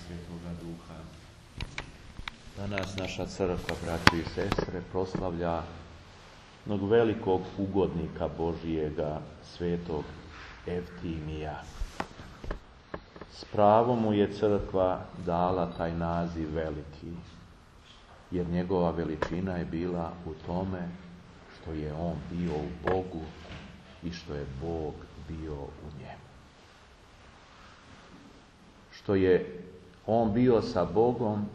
Svetoga Duha. Danas naša crkva, braći i sestre, proslavlja jednog velikog ugodnika Božijega, svetog Evtimija. S pravom mu je crkva dala taj naziv veliki, jer njegova veličina je bila u tome što je on bio u Bogu i što je Bog bio u njemu. Što je on bio sa Bogom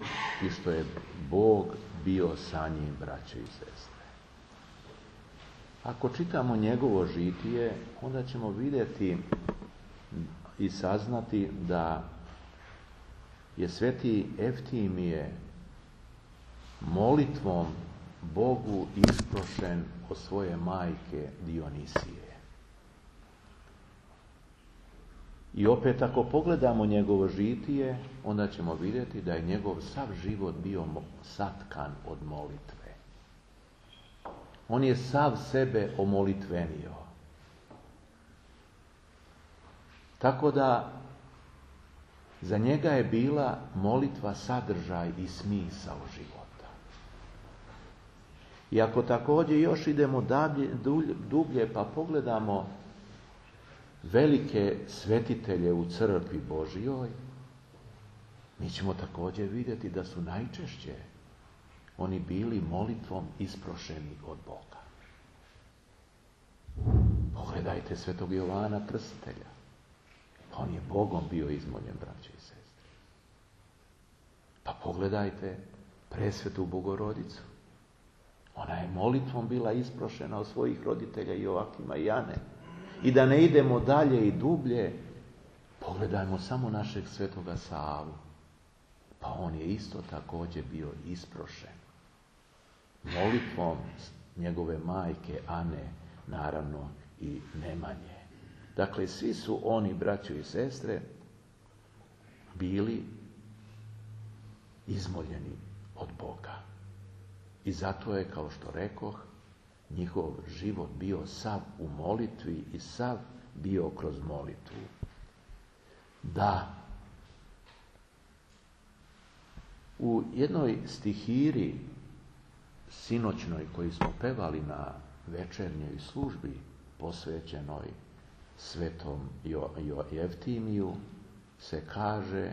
i što je Bog bio sa njim, braće i sestre. Ako čitamo njegovo žitije, onda ćemo vidjeti i saznati da je sveti Evtimije molitvom Bogu isprošen od svoje majke Dionisije. I opet ako pogledamo njegovo žitije, onda ćemo vidjeti da je njegov sav život bio satkan od molitve. On je sav sebe omolitvenio. Tako da za njega je bila molitva sadržaj i smisao života. I ako također još idemo dublje pa pogledamo velike svetitelje u crkvi Božjoj, mi ćemo također vidjeti da su najčešće oni bili molitvom isprošeni od Boga. Pogledajte svetog Jovana Krstitelja. Pa on je Bogom bio izmoljen, braće i sestre. Pa pogledajte presvetu Bogorodicu. Ona je molitvom bila isprošena od svojih roditelja Joakima i Ane. I da ne idemo dalje i dublje, pogledajmo samo našeg svetoga Savu. Pa on je isto također bio isprošen molitvom njegove majke Ane, naravno i Nemanje. Dakle, svi su oni, braćo i sestre, bili izmoljeni od Boga. I zato je, kao što rekoh, njihov život bio sav u molitvi i sav bio kroz molitvu. Da, u jednoj stihiri sinoćnoj koju smo pevali na večernjoj službi posvećenoj svetom Evtimiju se kaže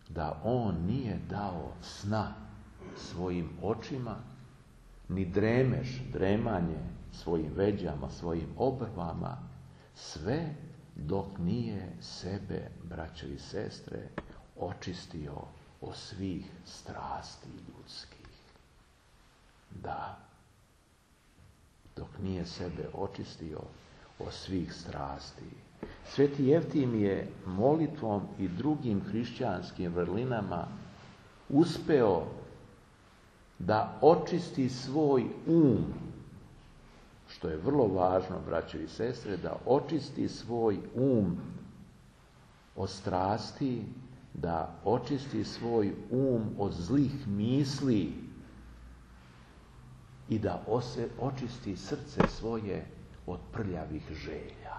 da on nije dao sna svojim očima, ni dremanje svojim veđama, svojim obrvama, sve dok nije sebe, braćo i sestre, očistio od svih strasti ljudskih. Da, dok nije sebe očistio od svih strasti. Sveti Evtim je molitvom i drugim hrišćanskim vrlinama uspeo da očisti svoj što je vrlo važno, braćo i sestre, da očisti svoj od strasti, da očisti svoj od zlih misli i da očisti srce svoje od prljavih želja.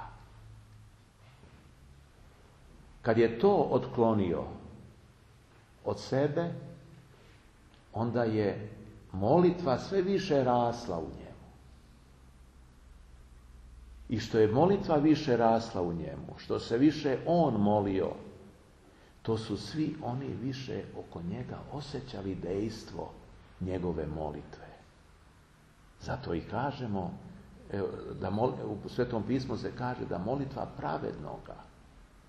Kad je to otklonio od sebe, onda je molitva sve više rasla u njemu. I što je molitva više rasla u njemu, što se više on molio, to su svi oni više oko njega osjećali dejstvo njegove molitve. Zato i kažemo, u Svetom pismu se kaže da molitva pravednoga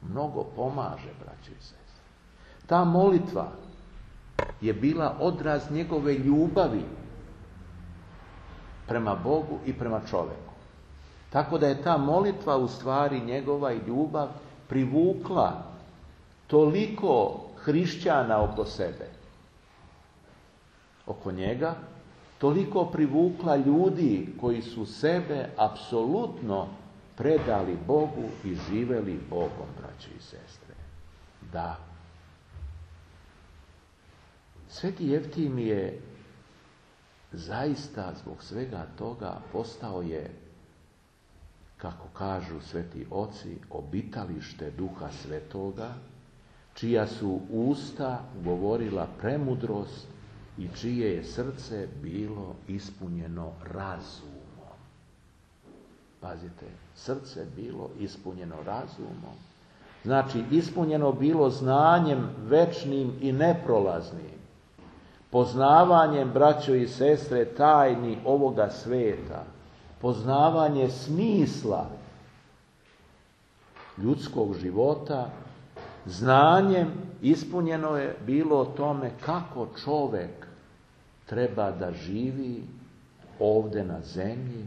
mnogo pomaže, braći i sestre. Ta molitva je bila odraz njegove ljubavi prema Bogu i prema čovjeku. Tako da je ta molitva u stvari njegova i ljubav privukla toliko hrišćana oko sebe, oko njega, toliko privukla ljudi koji su sebe apsolutno predali Bogu i živeli Bogom, braći i sestre. Da. Sveti Evtim je zaista zbog svega toga postao je, kako kažu sveti oci, obitalište Duha Svetoga, čija su usta govorila premudrost i čije je srce bilo ispunjeno razumom. Pazite, srce bilo ispunjeno razumom. Znači, ispunjeno bilo znanjem večnim i neprolaznim. Poznavanjem, braćo i sestre, tajni ovoga sveta. Poznavanje smisla ljudskog života. Znanjem ispunjeno je bilo o tome kako čovjek treba da živi ovdje na zemlji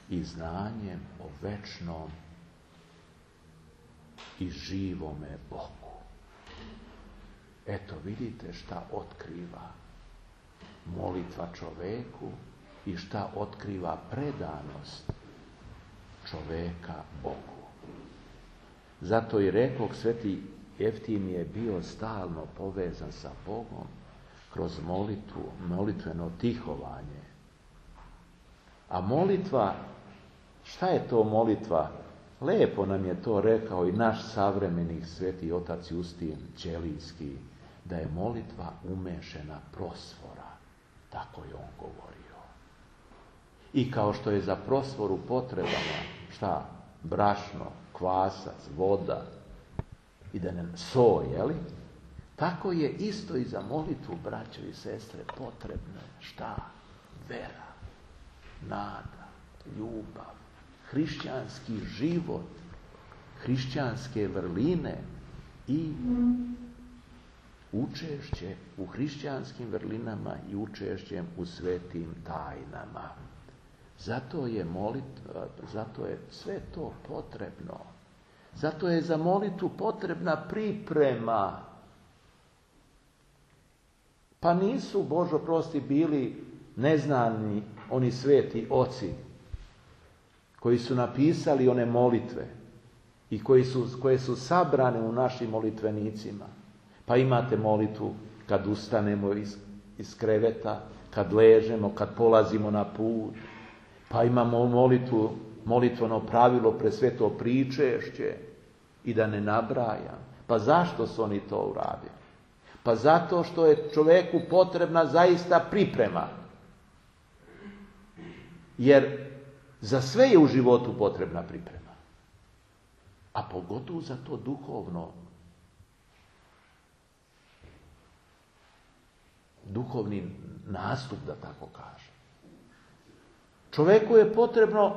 i znanjem o večnom i živome Bogu. Eto, vidite šta otkriva molitva čoveku i šta otkriva predanost čoveka Bogu. Zato i rekao, sveti Jeftim je bio stalno povezan sa Bogom kroz molitvu, molitveno tihovanje. A molitva, šta je to molitva? Lepo nam je to rekao i naš savremenik sveti otac Justin Ćelijski, da je molitva umešena prosvora. Tako je on govorio. I kao što je za prosvoru potrebama, šta? Brašno, kvasac, voda i da ne so, jeli? Tako je isto i za molitvu, braćo i sestre, potrebno. Šta? Vera, nada, ljubav, hrišćanski život, hrišćanske vrline i učešće u hrišćanskim vrlinama i učešćem u svetim tajnama. Zato je molitva, zato je sve to potrebno. Zato je za molitvu potrebna priprema. Pa nisu, Božo prosti, bili neznani oni sveti oci koji su napisali one molitve i koje su sabrane u našim molitvenicima. Pa imate molitvu kad ustanemo iz kreveta, kad ležemo, kad polazimo na put. Pa imamo molitveno pravilo presveto pričešće i da ne nabrajam. Pa zašto su oni to uradili? Pa zato što je čovjeku potrebna zaista priprema. Jer za sve je u životu potrebna priprema. A pogotovo za to duhovni nastup, da tako kažem. Čovjeku je potrebno,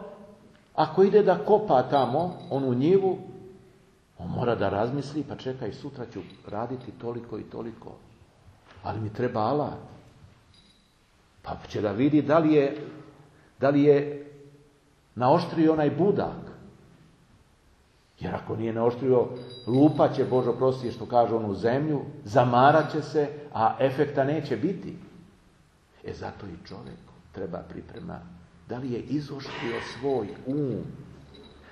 ako ide da kopa tamo, onu njivu, on mora da razmisli, pa čekaj, sutra ću raditi toliko i toliko. Ali mi treba alat. Pa će da vidi da li je naoštrio onaj budak. Jer ako nije naoštrio, lupat će, Božo prosti, što kaže onu zemlju, zamarat će se, a efekta neće biti. Zato i čovjeku treba priprema. Da li je izoštrio svoj um?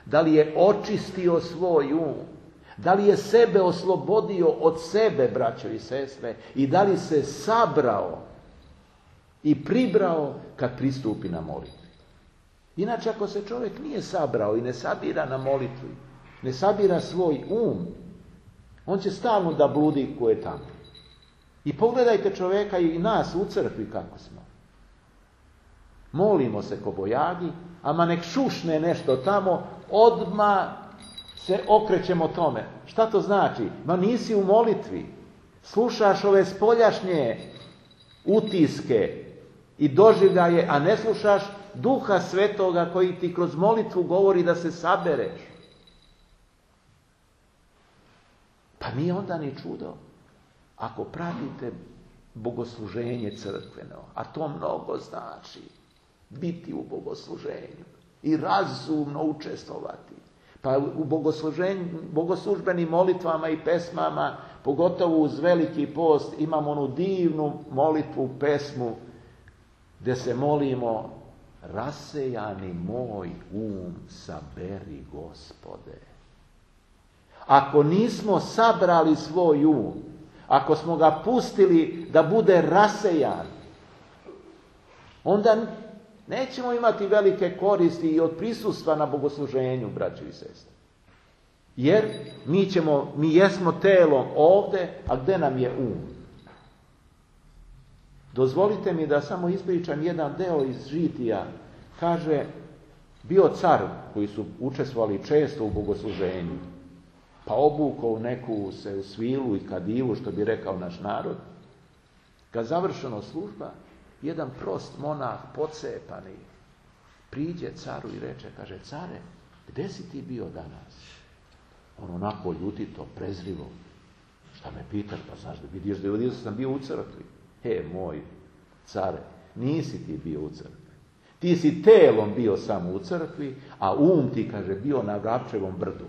Da li je očistio svoj um? Da li je sebe oslobodio od sebe, braćo i sestre? I da li se sabrao i pribrao kad pristupi na molitvi? Inače, ako se čovjek nije sabrao i ne sabira na molitvi, ne sabira svoj um, on će stalno da bludi ko je tamo. I pogledajte čovjeka i nas u crkvi kako smo. Molimo se ko bojagi, ama nek šušne nešto tamo, odmah se okrećemo tome. Šta to znači? Ma nisi u molitvi. Slušaš ove spoljašnje utiske i doživljaje, a ne slušaš Duha Svetoga koji ti kroz molitvu govori da se sabereš. Pa nije onda ni čudo ako pratite bogosluženje crkveno, a to mnogo znači, biti u bogosluženju i razumno učestvovati. Pa u bogoslužbenim molitvama i pesmama, pogotovo uz Veliki post, imamo onu divnu molitvu, pesmu, gdje se molimo: rasejani moj um, saberi Gospode. Ako nismo sabrali svoj um, ako smo ga pustili da bude rasejan, onda nećemo imati velike koristi i od prisustva na bogosluženju, braćo i sestre. Jer mi jesmo telom ovdje, a gdje nam je um? Dozvolite mi da samo ispričam jedan deo iz Žitija. Kaže, bio car koji su učestvovali često u bogosluženju, pa obukao neku se svilu i kadivu, što bi rekao naš narod. Kad završeno služba, jedan prost monah, pocepani, priđe caru i reče, kaže, care, gdje si ti bio danas? On onako ljutito, prezrivo. Šta me pitaš? Pa znaš da vidiš da sam bio u crkvi. Moj care, nisi ti bio u crkvi. Ti si telom bio samo u crkvi, a ti, kaže, bio na Vrapčevom brdu.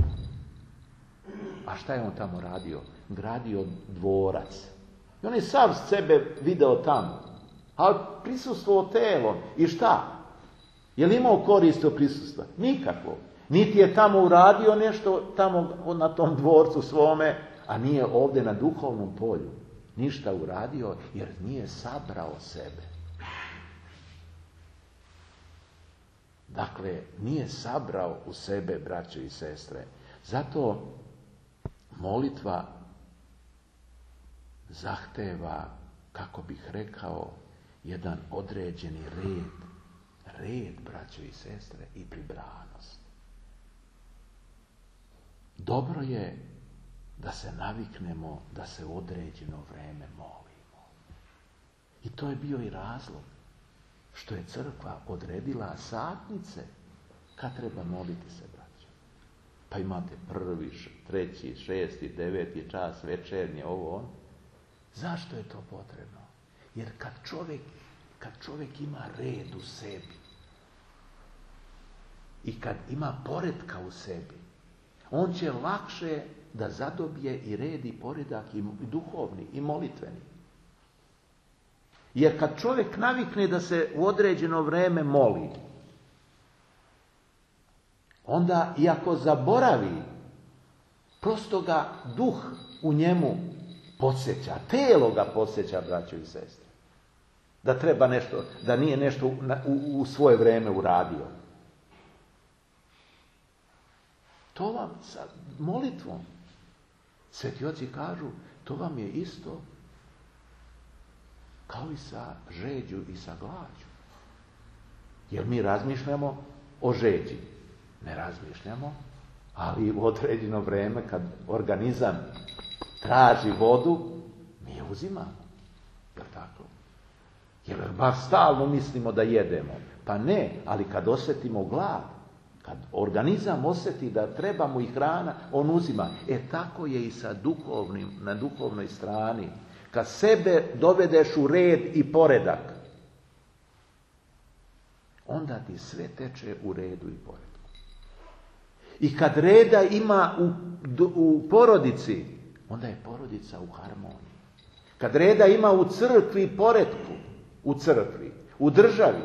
A šta je on tamo radio? Gradio dvorac. I on je sav sebe video tamo. Ali prisustvovao telom. I šta? Je li imao korist od prisustva? Nikako. Niti je tamo uradio nešto tamo na tom dvorcu svome, a nije ovdje na duhovnom polju ništa uradio, jer nije sabrao sebe. Dakle, nije sabrao u sebe, braće i sestre. Zato molitva zahteva, kako bih rekao, jedan određeni red, braće i sestre, i pribranost. Dobro je da se naviknemo da se u određeno vreme molimo. I to je bio i razlog što je crkva odredila satnice kad treba moliti se, braćo. Pa imate 1., 3., 6., 9. čas, večernje, ovo on. Zašto je to potrebno? Jer kad čovjek ima red u sebi i kad ima poretka u sebi, on će lakše da zadobije i red i poredak i duhovni i molitveni. Jer kad čovjek navikne da se u određeno vreme moli, onda i ako zaboravi, prosto ga duh u njemu podsjeća, telo ga podsjeća, braćo i sestre. Da treba nešto, da nije nešto u svoje vrijeme uradio. To vam sa molitvom, sveti oci kažu, to vam je isto kao i sa žeđu i sa glađu. Jer mi razmišljamo o žeđi. Ne razmišljamo, ali u određeno vrijeme kad organizam traži vodu, mi je uzimamo. Jer tako? Jer bar stalno mislimo da jedemo. Pa ne, ali kad osjetimo glad, kad organizam osjeti da treba mu i hrana, on uzima. Tako je i sa na duhovnoj strani. Kad sebe dovedeš u red i poredak, onda ti sve teče u redu i poredku. I kad reda ima u porodici, onda je porodica u harmoniji. Kad reda ima u crkvi i poretku, u crkvi, u državi,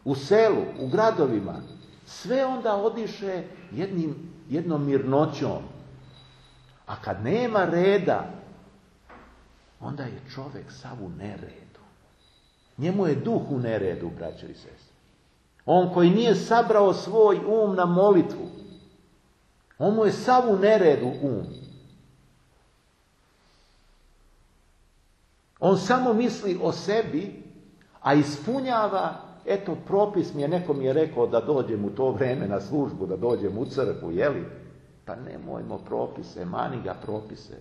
u selu, u gradovima, sve onda odiše jednom mirnoćom. A kad nema reda, onda je čovjek sav u neredu. Njemu je duh u neredu, braćo i sestre. On koji nije sabrao svoj um na molitvu, on mu je sav u neredu um. On samo misli o sebi, a ispunjava, propis neko mi je rekao da dođem u to vrijeme na službu, da dođem u crkvu, jeli? Pa nemojmo propise, mani ga propise.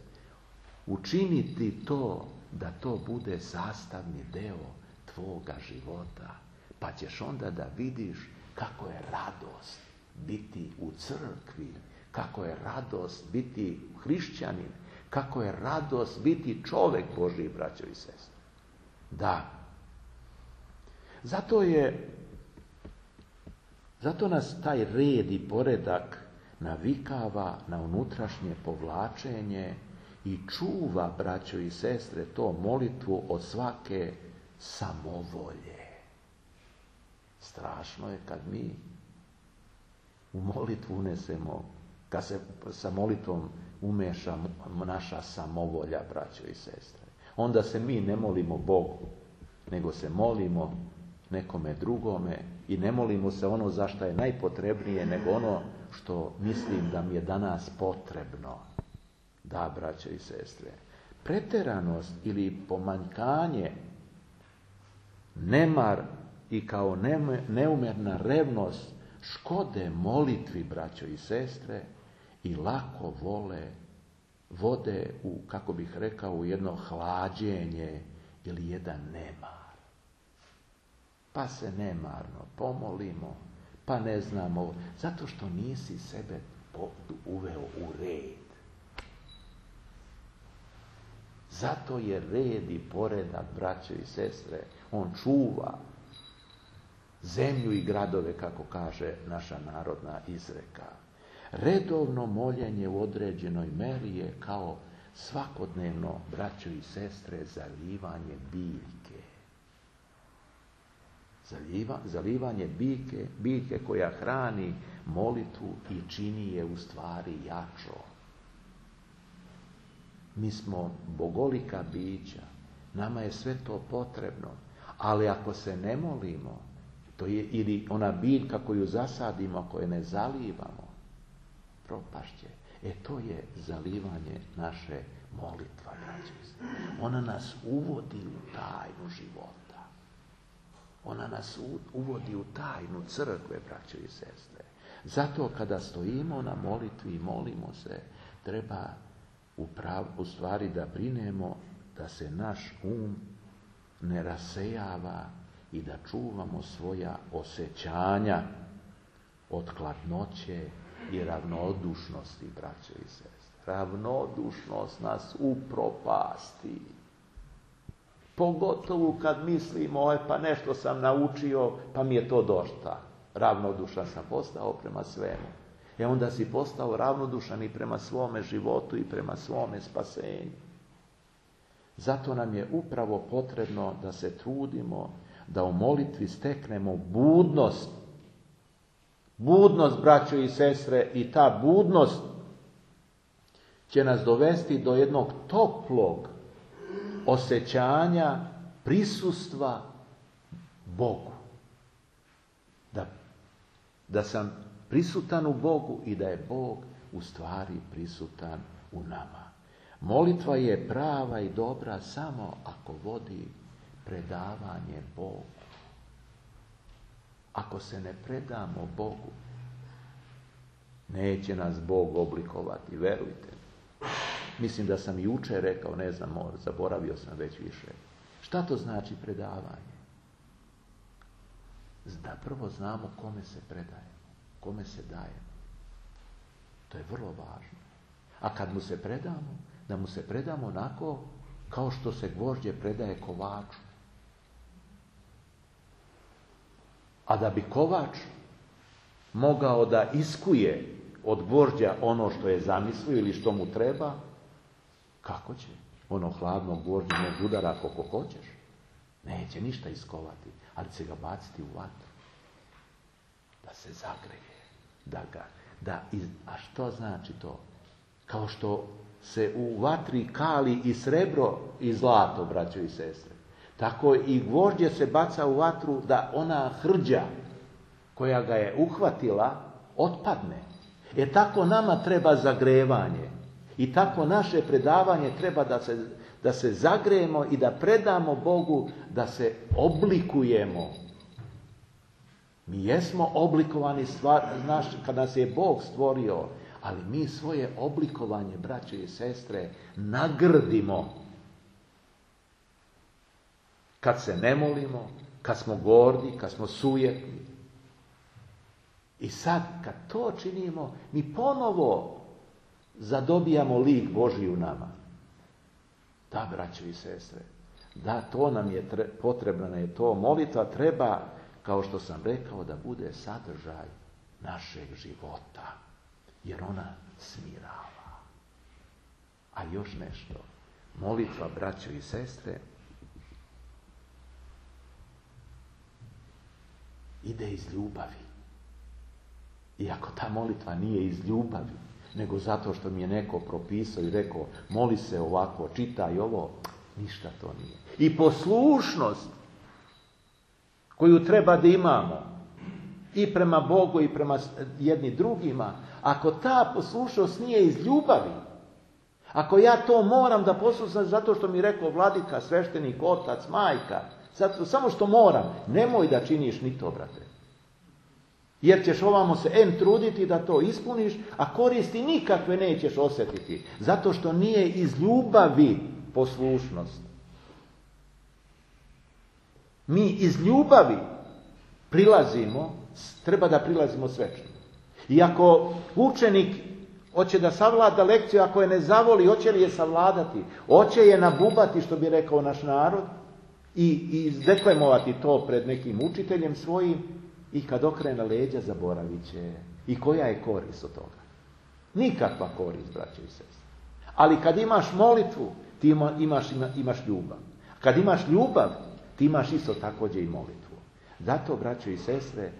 Učiniti to, da to bude sastavni deo tvoga života. Pa ćeš onda da vidiš kako je radost biti u crkvi, kako je radost biti hrišćanin, kako je radost biti čovjek Božji, braćo i sestre. Da. Zato nas taj red i poredak navikava na unutrašnje povlačenje i čuva, braćo i sestre, to molitvu od svake samovolje. Strašno je kad mi u molitvu unesemo, kad se sa molitvom umeša naša samovolja, braćo i sestre. Onda se mi ne molimo Bogu, nego se molimo nekome drugome i ne molimo se ono za što je najpotrebnije, nego ono što mislim da mi je danas potrebno. Da, braćo i sestre, preteranost ili pomanjkanje, nemar i kao neumjerna revnost škode molitvi, braćo i sestre, i lako vode u, kako bih rekao, u jedno hlađenje ili jedan nemar. Pa se nemarno pomolimo, pa ne znamo, zato što nisi sebe uveo u red. Zato je red i poredak, braćo i sestre, on čuva zemlju i gradove, kako kaže naša narodna izreka. Redovno moljenje u određenoj meri je kao svakodnevno, braćo i sestre, zalivanje biljke. Zalivanje biljke koja hrani molitvu i čini je u stvari jačo. Mi smo bogolika bića, nama je sve to potrebno, ali ako se ne molimo, to je ili ona biljka koju zasadimo, ako je ne zalivamo, propašće. To je zalivanje naše molitva, braćo. Ona nas uvodi u tajnu života. Ona nas uvodi u tajnu crkve, braćo i sestre. Zato kada stojimo na molitvi i molimo se, treba u stvari da brinemo da se naš ne rasejava i da čuvamo svoja osjećanja od hladnoće i ravnodušnosti, braćo i sestre. Ravnodušnost nas upropasti. Pogotovo kad mislimo, pa nešto sam naučio, pa mi je to dosta. Ravnodušan sam postao prema svemu. Onda si postao ravnodušan i prema svome životu i prema svome spasenju. Zato nam je upravo potrebno da se trudimo da u molitvi steknemo budnost. Budnost, braćo i sestre, i ta budnost će nas dovesti do jednog toplog osjećanja prisustva Bogu. Da sam prisutan u Bogu i da je Bog u stvari prisutan u nama. Molitva je prava i dobra samo ako vodi predavanje Bogu. Ako se ne predamo Bogu, neće nas Bog oblikovati, verujte. Mislim da sam jučer rekao, ne znam, zaboravio sam već više. Šta to znači predavanje? Da prvo znamo kome se predajemo, kome se dajemo. To je vrlo važno. A kad mu se predamo, da mu se predamo onako kao što se gvožđe predaje kovaču. A da bi kovač mogao da iskuje od gvožđa ono što je zamislio ili što mu treba, kako će? Ono hladno gvožđe ne udara koliko hoćeš. Neće ništa iskovati, ali će ga baciti u vatru. Da se zagreje. A što znači to? Kao što se u vatri kali i srebro i zlato, braćo i sestre. Tako i gvožđe se baca u vatru da ona hrđa koja ga je uhvatila otpadne. Tako nama treba zagrevanje. I tako naše predavanje treba da se zagrejemo i da predamo Bogu, da se oblikujemo. Mi jesmo oblikovani kad nas je Bog stvorio, ali mi svoje oblikovanje, braćo i sestre, nagrdimo. Kad se ne molimo, kad smo gordi, kad smo sujetni. I sad, kad to činimo, mi ponovo zadobijamo lik Božji u nama. Da, braćo i sestre, da, to nam je potrebno, je to. Molitva treba, kao što sam rekao, da bude sadržaj našeg života. Jer ona smirava. A još nešto. Molitva, braćo i sestre, ide iz ljubavi. I ako ta molitva nije iz ljubavi, nego zato što mi je neko propisao i rekao, moli se ovako, čitaj ovo, ništa to nije. I poslušnost koju treba da imamo, i prema Bogu i prema jedni drugima, ako ta poslušnost nije iz ljubavi, ako ja to moram da poslušam zato što mi rekao vladika, sveštenik, otac, majka, zato, samo što moram, nemoj da činiš ni to, brate. Jer ćeš ovamo se truditi da to ispuniš, a koristi nikakve nećeš osjetiti. Zato što nije iz ljubavi poslušnost. Mi iz ljubavi treba da prilazimo svečno. I ako učenik hoće da savlada lekciju, ako je ne zavoli, hoće li je savladati? Hoće je nabubati, što bi rekao naš narod, i deklemovati to pred nekim učiteljem svojim, i kad okrene leđa zaboravit će. I koja je korist od toga? Nikakva korist, braće i sestre. Ali kad imaš molitvu, ti imaš ljubav. Kad imaš ljubav, ti imaš isto također i molitvu. Zato, braće i sestre,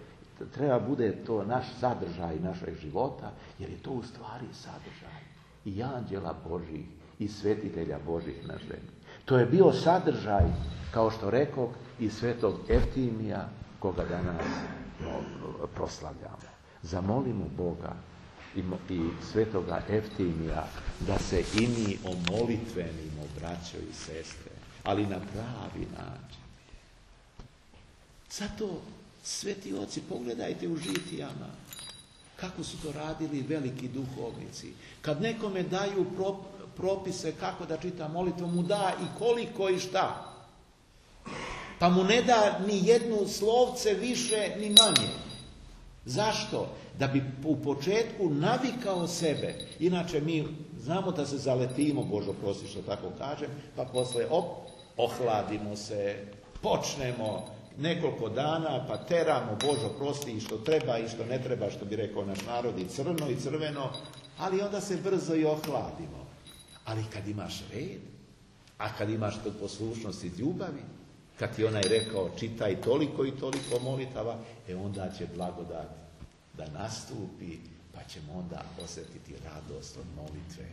treba bude to naš sadržaj našeg života, jer je to u stvari sadržaj i anđela Božih i svetitelja Božih na zemlji. To je bio sadržaj, kao što rekao, i svetog Eftimija, koga danas proslavljamo. Zamolimo Boga i svetoga Eftimija da se i mi omolitvenimo, braćo i sestre, ali na pravi način. Zato, sveti oci, pogledajte u žitijama kako su to radili veliki duhovnici. Kad nekome daju propise kako da čita molitvu, mu da i koliko i šta. Pa mu ne da ni jednu slovce više ni manje. Zašto? Da bi u početku navikao sebe. Inače mi znamo da se zaletimo, Božo prosti što tako kažem, pa posle ohladimo se, počnemo nekoliko dana, pa teramo, Božo prosti, i što treba i što ne treba, što bi rekao naš narod, i crno i crveno, ali onda se brzo i ohladimo. Ali kad imaš red, a kad imaš tu poslušnost i ljubavi, kad ti onaj rekao čitaj toliko i toliko molitava, onda će blagodat da nastupi, pa ćemo onda osjetiti radost od molitve